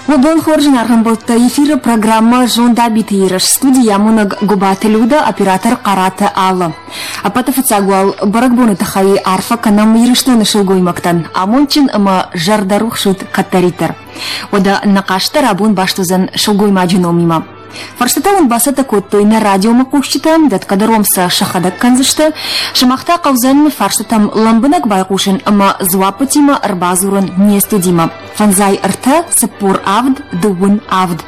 Уӕ бон хорз, зынаргъ Эфиры программӕ «Зондабиты ерыс», студийы амонӕг Гуыбаты Людӕ, оператор Хъараты Алла. Ӕппӕты фыццаг уал бӕрӕгбоны тыххӕй арфӕ кӕнӕм Ирыстоны сылгоймӕгтӕн. Амондджын ӕмӕ зӕрдӕрухс ут кӕддӕриддӕр. Уӕдӕ нӕ хъазт дӕр абон баст уыдзӕн сылгоймаджы номимӕ. Фарстытӕ уын бацӕттӕ кодтой нӕ радиомӕхъусджытӕ, дӕтгӕ дӕр уӕм сӕ сӕхӕдӕг кӕндзысты. Сымах та хъӕудзӕн фарстытӕм лӕмбынӕг байхъусын ӕмӕ дзуаппытимӕ ӕрбадзурын не студимӕ. Фӕндзай ӕртӕ, 47, дыууын авд.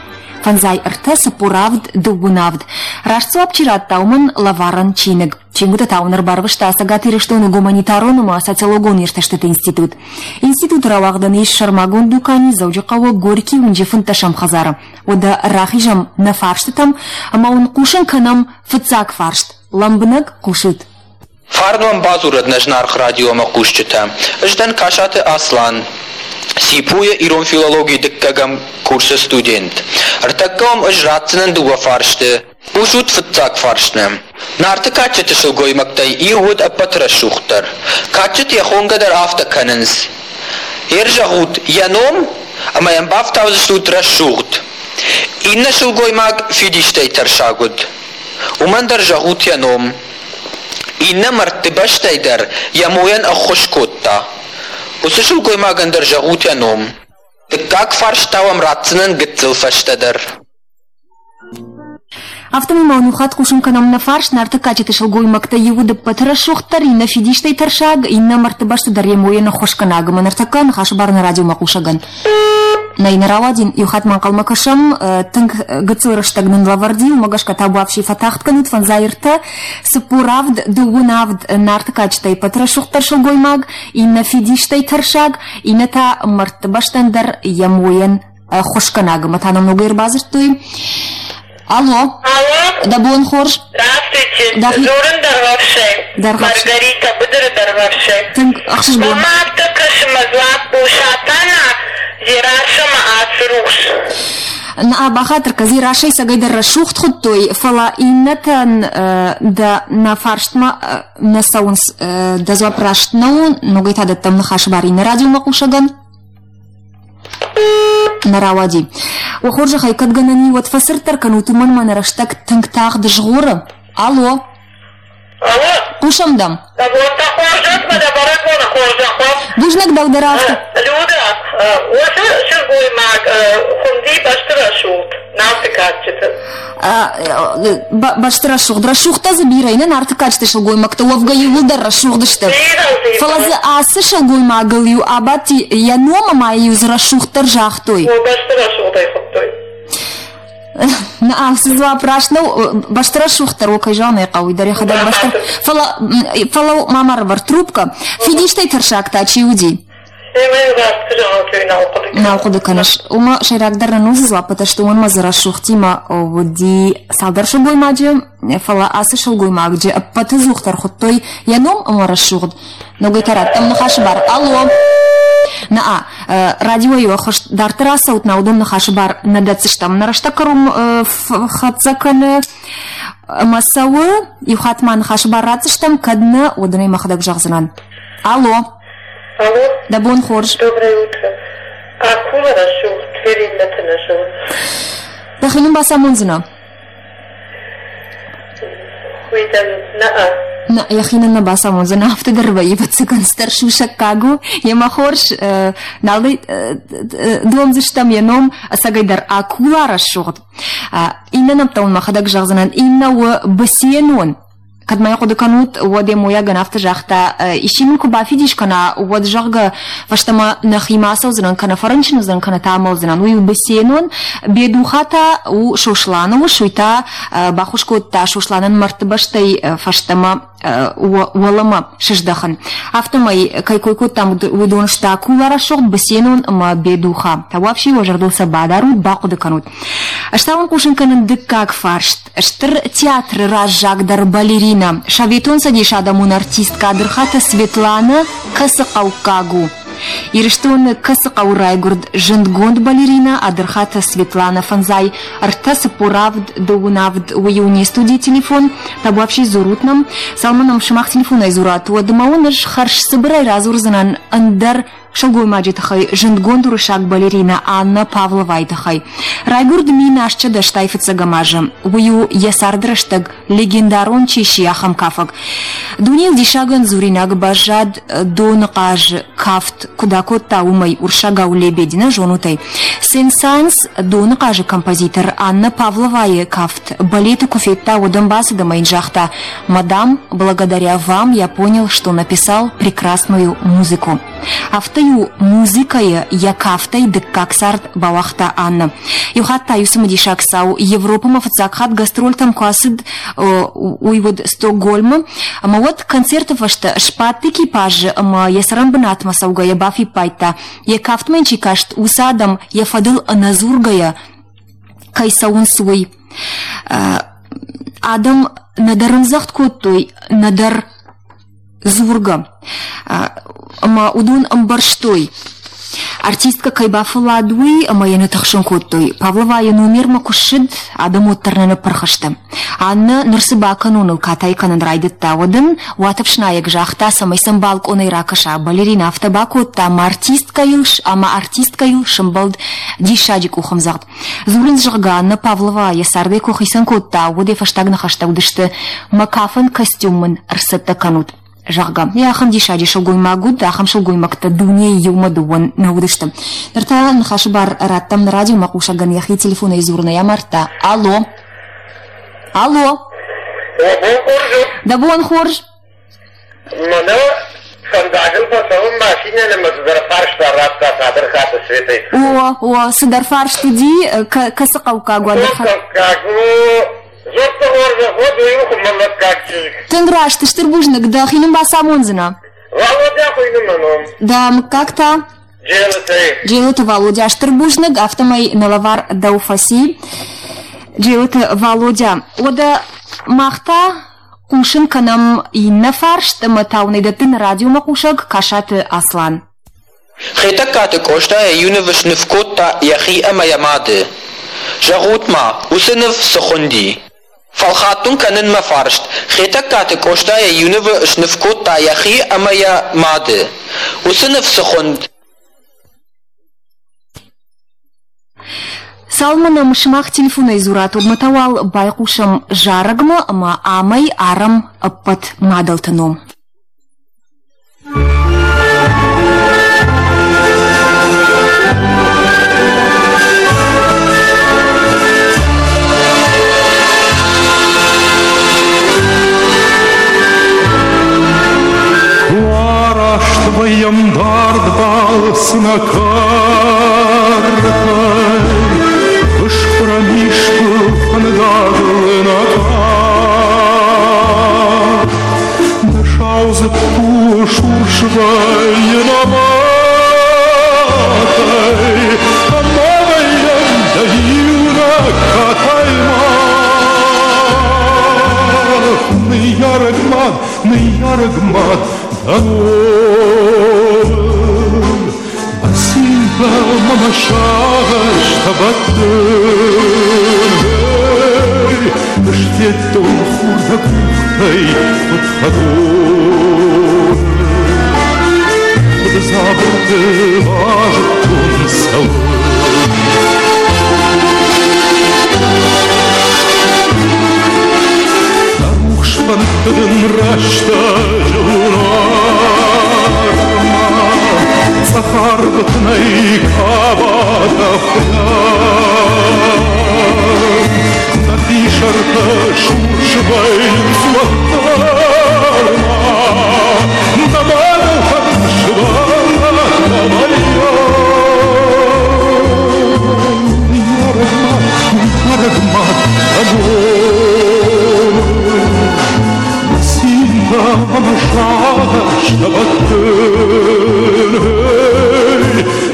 Фӕндзай ӕртӕ, 47, дыууын авд. Раст дзуапп чи радта, уымӕн лӕварӕн чиныг. Чингуытӕ та уын ӕрбарвыста Цӕгат Ирыстоны гуманитарон ӕмӕ социологон иртӕстыты институт. Институты рауагъдӕн ис сӕрмагонд дукани Дзӕуджыхъӕуы Горький уынджы фынддӕсӕм хӕдзары. Уӕдӕ рахизӕм нӕ фарстытӕм ӕмӕ уын хъусын кӕнӕм фыццаг фарст. Лӕмбынӕг хъусут. Фарн уӕм бадзурӕд нӕ зынаргъ радиомӕ хъусджытӕ. Ӕз дӕн Касаты Аслан, ЦИПУ-йы ирон филологийы дыккӕгӕм курсы студент. Ӕртӕккӕ уӕм ӕз ратдзынӕн дыууӕ фарсты. Хъусут фыццаг фарстмӕ. Нарты кадджыты сылгоймӕгтӕй иу уыд ӕппӕты рӕсугъддӕр. Кадджыты йӕ хонгӕ дӕр афтӕ кӕнынц. Ӕрзӕгъут йӕ ном ӕмӕ йӕм бафтаудзыстут рӕсугъд. Иннӕ сылгоймаг фидистӕй тӕрсаг уыд. Уымӕн дӕр зӕгъут йӕ ном. Иннӕ мӕрдты бӕстӕй дӕр йӕ мойӕн ӕххуыс кодта. Уыцы сылгоймагӕн дӕр зӕгъут йӕ ном. Дыккаг фарст та уӕм ратдзынӕн гыццыл фӕстӕдӕр. Афтӕмӕй ма уын иу хатт хъусын кӕнӕм нӕ фарст Нарты кадджыты сылгоймӕгтӕ иуы ӕппӕты рӕсугъддӕр, иннӕ фидистӕй тӕрсаг, иннӕ мӕрдты бӕсты дӕр йӕ мойӕн ӕххуысгӕнӕг ӕмӕ ныртӕккӕ ныхасы бар нӕ радиомӕ хъусӕгӕн. Нӕй, нӕ рауадин, иу хатт ма ӕнхъӕлмӕ кӕсӕм, тынг гыццыл рӕстӕг нын лӕвӕрди, уымӕ гӕсгӕ табуафси фӕтагъд кӕнут фӕндзай ӕртӕ, 47, дыууын авд Нарты кадджытӕй ӕппӕты рӕсугъддӕр сылгоймаг, иннӕ фидистӕй тӕрсаг, иннӕ та мӕрдты бӕстӕн дӕр йӕ мойӕн ӕххуысгӕнӕг ӕмӕ та нӕм ногӕй ӕрбадзырдтой. Алло. Алло. Дӕ бон хорз. Здравствуйте. Дзурын Дӕргъӕвсӕй. Маргарита, быдыры Дӕргъӕвсӕй. Тынг ӕхсызгон. Мӕ афтӕ кӕсы, мӕ дзуапп у Сатана, Дзерассӕ мӕ Ацырухс. Нӕ, бахатыр кӕ, Дзерассӕй цӕгӕйдӕр рӕсугъд хуыдтой, фӕлӕ иннӕтӕн дӕ нӕ фарстмӕ нӕ цӕуынц. Дӕ дзуапп раст нӕу, ногӕй та дӕттӕм ныхасы бар иннӕ радиомӕхъусӕгӕн. Нӕ рауади. Уӕ хорзӕхӕй, кӕд гӕнӕн и, уӕд фӕцырддӕр кӕнут, уымӕн мӕ нӕ рӕстӕг тынг тагъд згъоры. Алло! Алло! Хъусӕм дӕм. Дӕ бонтӕ хорзӕх мӕ дӕ бӕрӕгбоны хорзӕх уӕд. Бузныг дӕу дӕр афтӕ. Люда, уыцы сылгоймаг хуынди Бӕстырӕсугъд Нарты кадджыты. Бӕсты рӕсугъд. Рӕсугъдтӕ дзы бирӕ, нӕ Нарты кадджыты сылгоймӕгтӕ уӕвгӕ иууылдӕр рӕсугъд сты. Фӕлӕ дзы ацы сылгоймагыл-иу абадти йӕ ном ӕмӕ-иу дзы рӕсугъддӕр загътой. Бӕсты рӕсугъдӕй хуыдтой. Нӕ, ацы дзуапп раст нӕу. Бӕсты рӕсугъддӕр у, кӕй зӕгъын ӕй хъӕуы, дӕр йӕхӕдӕг бӕсты. Фӕлӕ, фӕлӕ ма ма рывӕр трубкӕ. Фидистӕй тӕрсаг та чи уыди? Нал хъуыды кӕныс. Уымӕ сӕйрагдӕр нын уыцы дзуаппытӕ сты, уымӕн дзы рӕсугъдтимӕ уыди цалдӕр сылгоймаджы, фӕлӕ ацы сылгоймаджы ӕппӕты дзухдӕр хуыдтой йӕ ном ӕмӕ рӕсугъд. Ногӕй та раттӕм ныхасы бар. Алло! Наа, радиойы ӕххуыс дарддӕр ацӕут, на уыдон ныхасы бар нӕ дӕтдзыстӕм. Нӕ рӕстӕг кӕрон хӕццӕ кӕны ӕмӕ цӕуы. Иу хатт ма ныхасы бар ратдзыстӕм, кӕд нӕ, уӕд ын ӕй мӕхӕдӕг зӕгъдзынӕн. Алло! Алло. Дӕ бон хорз. Доброе утро. Акула рӕсугъд Фериннӕты нӕ зоныс? Дӕхи нын бацамондзынӕ? Уый дӕм нӕ. Нӕ, йӕхи нын нӕ бацамондзынӕ, афтӕ дӕр вӕййы, ӕвӕццӕгӕн, цыдӕр сусӕггаг у. Йемӕ хорз, нал домдзыстӕм йӕ ном, ӕцӕгӕйдӕр акула рӕсугъд. Иннӕ нӕмттӕ уын мӕхӕдӕг зӕгъдзынӕн. Иннӕ у Бысенон. Кӕд ма йӕ хъуыды кӕнут, уӕд йӕ мойагӕн афтӕ загъта, исчи мын куы бафидис кӕна, уӕд, зӕгъгӕ, фӕстӕмӕ нӕхимӕ ацӕудзынӕн, кӕнӕ фӕрынчын уыдзӕн, кӕнӕ та амӕлдзынӕн. Уый у Бесенон, Бедуха та у Сосланы ус, уый та баххуыс кодта Сосланӕн мӕрдты бӕстӕй фӕстӕмӕ уӕлӕмӕ сыздӕхын. Афтӕмӕй, кӕй кой кодтам, уыдон сты Акула рӕсугъд, Бесенон ӕмӕ Бедуха. Тауафси уӕ зӕрдыл сӕ бадарут, бахъуыды кӕнут. Ӕз та уын хъусын кӕнын дыккаг фарст. Стыр театры раззагдӕр балеринӕ, Советон Цӕдисы адӕмон артисткӕ Адырхаты Светланӕ кӕцы хъӕуккаг у? Ирыстоны кӕцы хъӕуы райгуырд зындгонд балеринӕ Адырхаты Светланӕ фӕндзай ӕртӕ 47 дыууын авд уый у не студийы телефон. Табуафси дзурут нӕм. Цалынмӕ нӕм сымах телефонӕй дзурат, уӕдмӕ уын ӕз хӕрзцыбырӕй радзурдзынӕн ӕндӕр. сылгоймаджы тыххӕй, зындгонд уырыссаг балеринӕ Анна Павловайы тыххӕй. Райгуырд 1885 азы. Уый у йӕ царды рӕстӕг легендарон чи сси, ахӕм кафӕг. Дунейыл диссагӕн дзуринаг баззад доныхъазы кафт куыд акодта, уымӕй, уырыссагау Лебедь, нӕ зонут ӕй. Сен-Санс доныхъазы композитор Анна Павловайы кафт балеты куы федта, уӕд ӕм бацыд ӕмӕ йын загъта: «Мадам, благодаря вам я понял, что написал прекрасную музыку». Афтӕ-иу музыкӕйы йӕ кафтӕй дыккаг цард бауагъта Анна. Иу хатт та иу цымыдисаг цау Европӕмӕ фыццаг хатт гастрольтӕм куы ацыд, уый уыд Стокгольмы, ӕмӕ уӕд концерты фӕстӕ сбадт экипажы ӕмӕ йӕ цӕрӕнбынатмӕ цӕугӕйӕ бафиппайдта, йӕ кафтмӕ йын чи каст, уыцы адӕм йӕ фӕдыл ӕнӕдзургӕйӕ кӕй цӕуынц, уый. Адӕм нӕдӕр ӕмдзӕгъд кодтой, нӕдӕр дзургӕ. Ӕмӕ уыдон ӕмбӕрстой, артисткӕ кӕй бафӕллад, уый, ӕмӕ йӕ нӕ тыхсын кодтой. Павлова йӕ номермӕ куы ссыд, адӕм уӕддӕр нӕ ныппырх сты. Аннӕ ныр цы бакӕноныл катай кӕнын райдыдта, уӕд ын уатӕфснайӕг загъта, цӕмӕй сӕм балкъонӕй ракӕса. Балерина афтӕ бакодта, ӕмӕ артисткӕйыл ӕмӕ артисткӕйыл сӕмбӕлд диссаджы къухӕмдзӕгъд. Дзурынц, зӕгъгӕ, Анна Павлова йӕ цардӕй куы хицӕн кодта, уӕд йӕ фӕстаг ныхӕстӕ уыдысты: «Мӕ кафӕн костюм мын ӕрцӕттӕ кӕнут», зӕгъгӕ. Йӕ ахӕм диссаджы сылгоймаг уыд, ахӕм сылгоймӕгтӕ дунейы иумӕ дыууӕ нӕ уыдысты. Ныр та ныхасы бар радтӕм нӕ радиомӕхъусӕгӕн йӕхи телефонӕй дзурынӕй амардта. Алло! Алло! Дӕ бон хорз у? Дӕ бон хорз! Мӕнӕ фӕндагыл фӕцӕуын машинӕ ӕмӕ цыдӕр фарста радта Садырхаты Светӕй. О, о, цыдӕр фарст уыди, кӕцы хъӕуккаг уӕд? Хъӕуккаг у, Зодты хорзӕх уӕд, уый у хуымӕллӕггаг чызг. Тынг раст, стыр бузныг, дӕхи нын бацамондзынӕ? Валодя хуыйны мӕ ном. Дӕ мыггаг та? Джелытӕй. Джелыты Валодя, стыр бузныг, афтӕмӕй нӕ лӕвар дӕу фӕци. Джелыты Валодя, уӕдӕ мах та Хъусын кӕнӕм иннӕ фарст ӕмӕ та уын ӕй дӕтты нӕ радиомӕхъусӕг Касаты Аслан. Хетӕгкаты Къоста йӕ иу ныв сныв кодта йӕхи ӕмӕ йӕ мады. Зӕгъут-ма, уыцы ныв цы хуынди? Фӕлхатт уын кӕнын мӕ фарст. Хетӕгкаты Къоста йӕ иу нывы сныв кодта йӕхи ӕмӕ йӕ мады. Уыцы ныв цы хуынд? Цалынмӕ нӕм сымах телефонӕй дзурат, уӕдмӕ та уал байхъусӕм зарӕгмӕ ӕмӕ амӕй арӕм ӕппӕт мадӕлты ном. Араст вӕййӕм дард балцы нӕ кӕртӕй, Ыскъуырӕм искуы фӕндагыл нӕ тар. Нӕ сау дзыкку сурс вӕййы нӕ мӕтӕй, Ӕмӕ вӕййӕм дӕ иунӕг катай мах. Ныййарӕг мад, ныййарӕг мад, дӕ ном. Мӕ цинтӕ мӕ мӕ сагъӕстӕ бӕттын. Ысфедтон хур дӕ къухтӕй куыд хӕдон. Куыд дзабырты базыдтон цӕуын. Дӕ рухс фӕндты дын рӕстӕджы уынӕрмӕ цъӕх арвы тынӕй кабатӕ хуыйӕн. Нӕхи сӕртӕ сурс вӕййынц уӕддӕр ма нӕ мадӕлтӕн сывӕллӕттӕ вӕййӕм. Ныййарӕг мад, ныййарӕг мад, дӕ бон. Мӕ цинтӕ ӕмӕ сагъӕстӕ бӕттын.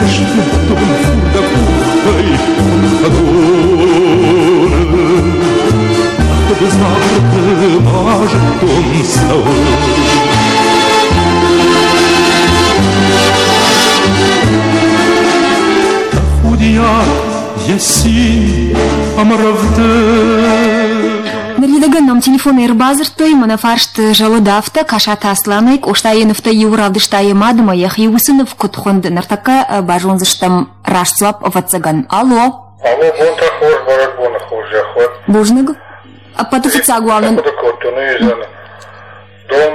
Ысфедтон хур дӕ къухтӕй хӕдон. Базарты базыдтон цӕуын. Тӕхудиаг йӕ цин ӕмӕ рӕвдыд. Ныридӕгӕн нӕм телефонӕй ӕрбадзырдтой, мӕнӕ фарст зӕлыд афтӕ, Касаты Асланӕй Къостайы нывтӕй иу равдыста йӕ мад ӕмӕ йӕхи уыцы ныв куыд хуынд, ныртӕккӕ базондзыстӕм раст дзуапп, ӕвӕццӕгӕн. Алло! Алло, бонтӕ хорз, бӕрӕгбоны хорзӕх уӕд. Бузныг. Ӕппӕты фыццаг уал нын... Хъуыды кодтон, уый дон,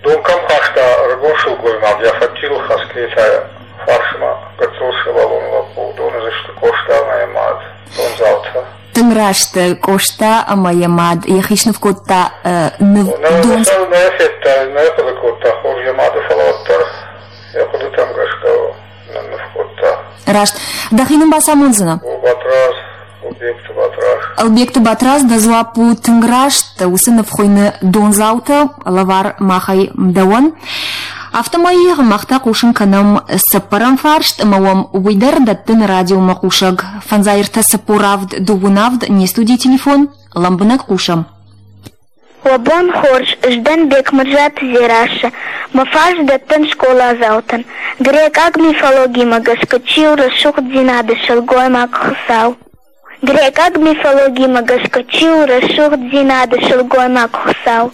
дон кӕм хаста ӕрыгон сылгоймаг, йӕ фӕдджийыл хӕцгӕйӕ фарсмӕ гыццыл сывӕллон лӕппу, уыдон уыдзысты Къоста ӕмӕ йӕ мад, дондзаутӕ. Тынг раст Къоста ӕмӕ йӕ мад йӕхи сныв кодта ныв дон. Нӕ федта, нӕ хъуыды кодта хорз йӕ мады, фӕлӕ уӕддӕр йӕ хъуыдытӕм гӕсгӕ нынныв кодта. Раст. Дӕхи нын бацамондзынӕ? О, Батраз, Ӕлбегты Батраз. Ӕлбегты Батраз, дӕ дзуапп у тынг раст. Уыцы ныв хуыйны Дондзаутӕ, лӕвар махӕй дӕуӕн. Афтӕмӕй мах та хъусын кӕнӕм цыппӕрӕм фарст ӕмӕ уӕм уый дӕр дӕттын радиомӕ хъусӕг. Фӕндзай ӕртӕ цыппор авд дыууын авд не студийы телефон. Лӕмбынӕг хъусӕм. Уӕ бон хорз, ӕз дӕн Бекмырзаты Дзерассӕ. Мӕ фарс дӕттын скъоладзаутӕн. Грекъаг мифологимӕ гӕсгӕ чи у рӕсугъддзинады сылгоймаг Хуыцау? Грекъаг мифологимӕ гӕсгӕ чи у рӕсугъддзинады сылгоймаг Хуыцау?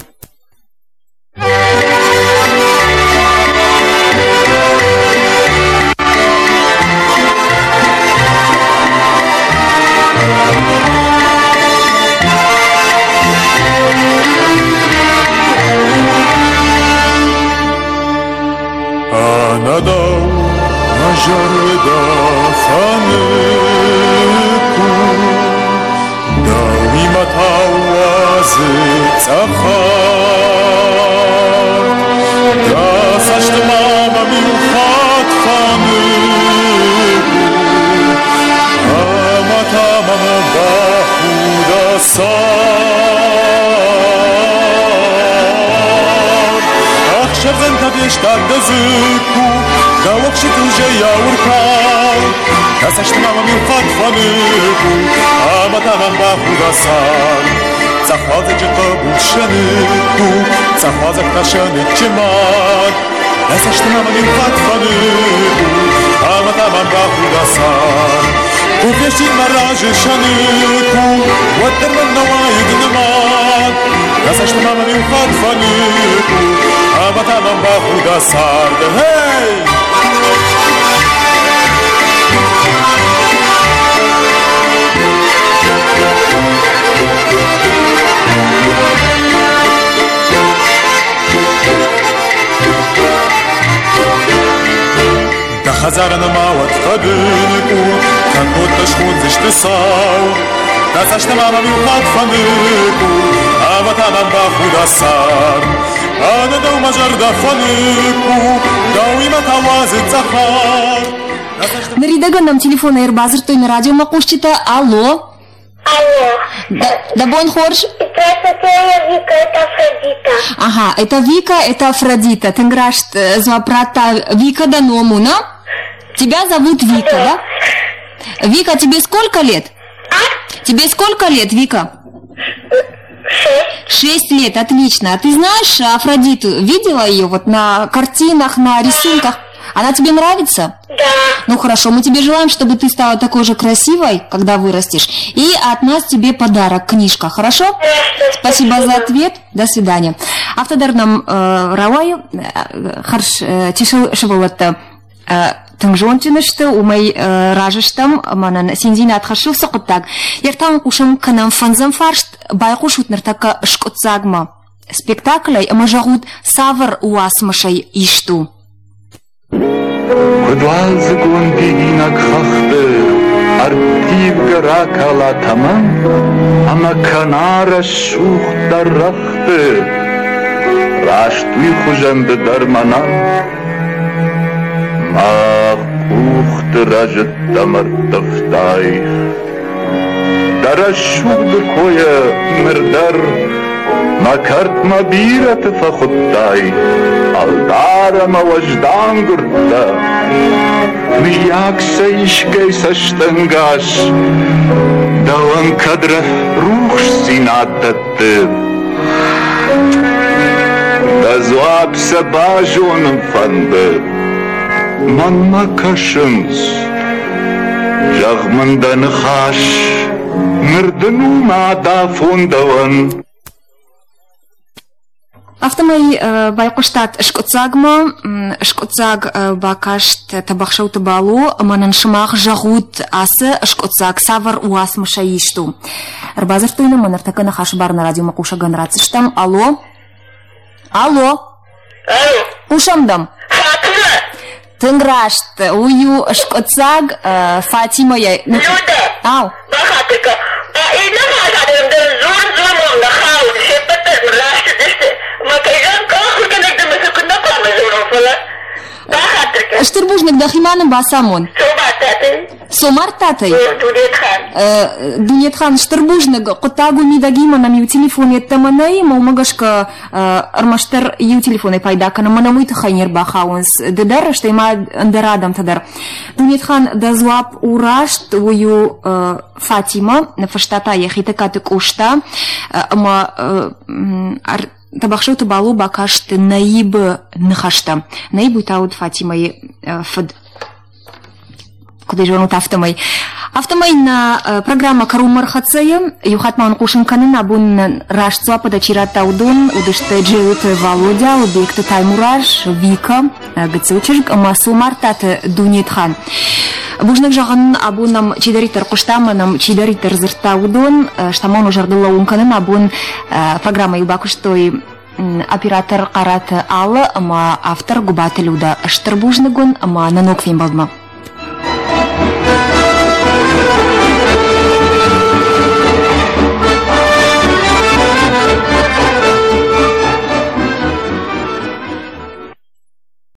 Ӕнӕдӕу мӕ зӕрдӕ фӕнык у, Дӕуимӕ та уадзы цъӕхарт. Дӕ цӕстмӕ мӕм иу хатт фӕнык у, Ӕмӕ та мӕм бахуда цард. Ӕхсӕрдзӕнтӕ фестад дӕ дзыкку, Дӕ уӕхсчытыл зӕйау ӕркал. Дӕ цӕстмӕ мӕм иу хатт фӕнык у, Ӕмӕ та мӕм бахуда цард. Цъӕх уалдзӕджы хъӕбул сӕныкк у, Цъӕх уалдзӕг та сӕныччы мад. Дӕ цӕстмӕ мӕм иу хатт фӕнык у, Ӕмӕ та мӕм бахуда цард. Куы фестин мӕ разы сӕныкк у, Уӕддӕр мӕн нӕ уаид нымад. Дӕ цӕстмӕ мӕм иу хатт фӕнык у, Ӕмӕ та мӕм бахуда цард. Hey! Дӕ хӕдзары нӕма уӕд хъӕдын къул, Кӕннод дӕ схондзысты сау. Дӕ цӕстмӕ мӕм иу хатт фӕныкъул, Ӕмӕ та мӕм бахуда цар. Ӕнӕ дӕу мӕ зӕрдӕ фӕнык у, Дӕуимӕ та уадзы цӕхӕр. Ныридӕгӕн нӕм телефонӕй ӕрбадзырдтой нӕ радиомӕхъусджытӕ. Алло! Алло. Да, бон хорз. Здравствуйте, я Вика, это Афродита. Ага, это Вика, это Афродита. Тынг раст дзуапп радта Вика дӕ ном у, на? Тебя зовут Вика, да? Вика, тебе сколько лет? А? Тебе сколько лет, Вика? Шесть. Шесть лет, отлично. А ты знаешь Афродиту? Видела ее вот на картинах, на рисунках? Она тебе нравится? Да. Ну хорошо, мы тебе желаем, чтобы ты стала такой же красивой, когда вырастешь. И от нас тебе подарок, книжка, хорошо? Хорошо, спасибо за ответ. До свидания. Афтӕдӕр нӕм рауайы хӕрз чысыл сывӕллӕттӕ тынг зондджын сты, уымӕй разы стӕм, ӕмӕ нын циндзинад хӕссы уыцы хъуыддаг. Ӕртӕ хъусын кӕнӕм фӕндзӕм фарст, байхъусут ныртӕккӕ скъуыддзагмӕ спектаклӕй ӕмӕ зӕгъут, цавӕр уацмысӕй ист у. Куыд уалдзыгон дидинӕг хӕхты ӕрттивгӕ ракала тӕмӕн ӕмӕ кӕна рӕсугъддӕр рӕгъты, раст уый хуызӕн ды дӕр мӕнӕн мӕ къухты рӕзыдтӕм ӕрттывтай. Дӕ рӕсугъды койӕ ныр дӕр мӕ кӕртмӕ бирӕты фӕхуыдтай, ӕлдар ӕмӕ уӕздан гуырдтӕ. Мыййаг сӕ искӕй цӕстӕнгас дӕуӕн кӕд рухсдзинад дӕтты? Дӕ дзуапп сӕ базонын фӕнды. Мӕнмӕ кӕсынц. Зӕгъ мын дӕ ныхас, ныр дын у мӕ дафон дӕуӕн. Афтӕмӕй байхъуыстат скъуыддзагмӕ. Скъуыддзаг бакаст Тӕбӕхсӕуты Бало ӕмӕ нын сымах зӕгъут, ацы скъуыддзаг цавӕр уацмысӕй ист у. Ӕрбадзырдтой нӕм, ныртӕккӕ ныхасы бар нӕ радиомӕ хъусӕгӕн ратдзыстӕм. Алло? Алло? Алло? Хъусӕм дӕм. Фатимӕ! Тынг раст. Уый у скъуыддзаг Фатимӕйӕ. Людӕ! Ау. Бахатыр кӕн. Иннӕ хӕдзарӕн дӕр зон-зонон нӕ хауд, се ппӕт дӕр мын раст уыдысты. Мӕ кӕй зӕгъын хъӕуы, ахуыргӕнӕг дӕ мӕ цы куыд нӕ хъуамӕ зонон, фӕлӕ бахатыр кӕн. Стыр бузныг, дӕхимӕ нын бацамон. Цомартатӕй. Цомартатӕй? Дунетхан. Дунетхан, стыр бузныг. Хъуыддаг у мидӕгимӕ нӕм иу телефон йеддӕмӕ нӕй, ӕмӕ уымӕ гӕсгӕ ӕрмӕстдӕр иу телефонӕй пайда кӕнӕм, мӕнӕ уый тыххӕй не рбахауынц ды дӕр, стӕй ма ӕндӕр адӕмтӕ дӕр. Дунетхан, дӕ дзуапп у раст, уый у Фатимӕ, ныффыста та йӕ Хетӕгкаты Къоста ӕмӕ Тӕбӕхсӕуты Бало бакаст Наибы ныхӕстӕ. Наиб уый та уыд Фатимӕйы фыд. Куыд ӕй зонут, афтӕмӕй. Афтӕмӕй нӕ программӕ кӕронмӕ ӕрхӕццӕ и. Иу хатт ма уын хъусын кӕнын, абон нын раст дзуаппытӕ чи радта, уыдон уыдысты Джелыты Валодя, Алыбегты Таймураз, Вика, гыццыл чызг ӕмӕ Цомартаты Дунетхан. Бузныг зӕгъын, абон нӕм чидӕриддӕр хъуыста ӕмӕ нӕм чидӕриддӕр дзырдта, уыдон. Стӕм уын зӕрдыл лӕууын кӕнын, абон программӕйыл бакуыстой оператор Хъараты Алла ӕмӕ автор Гуыбаты Людӕ. Стыр бузныг уын ӕмӕ нӕ ног фембӕлдмӕ.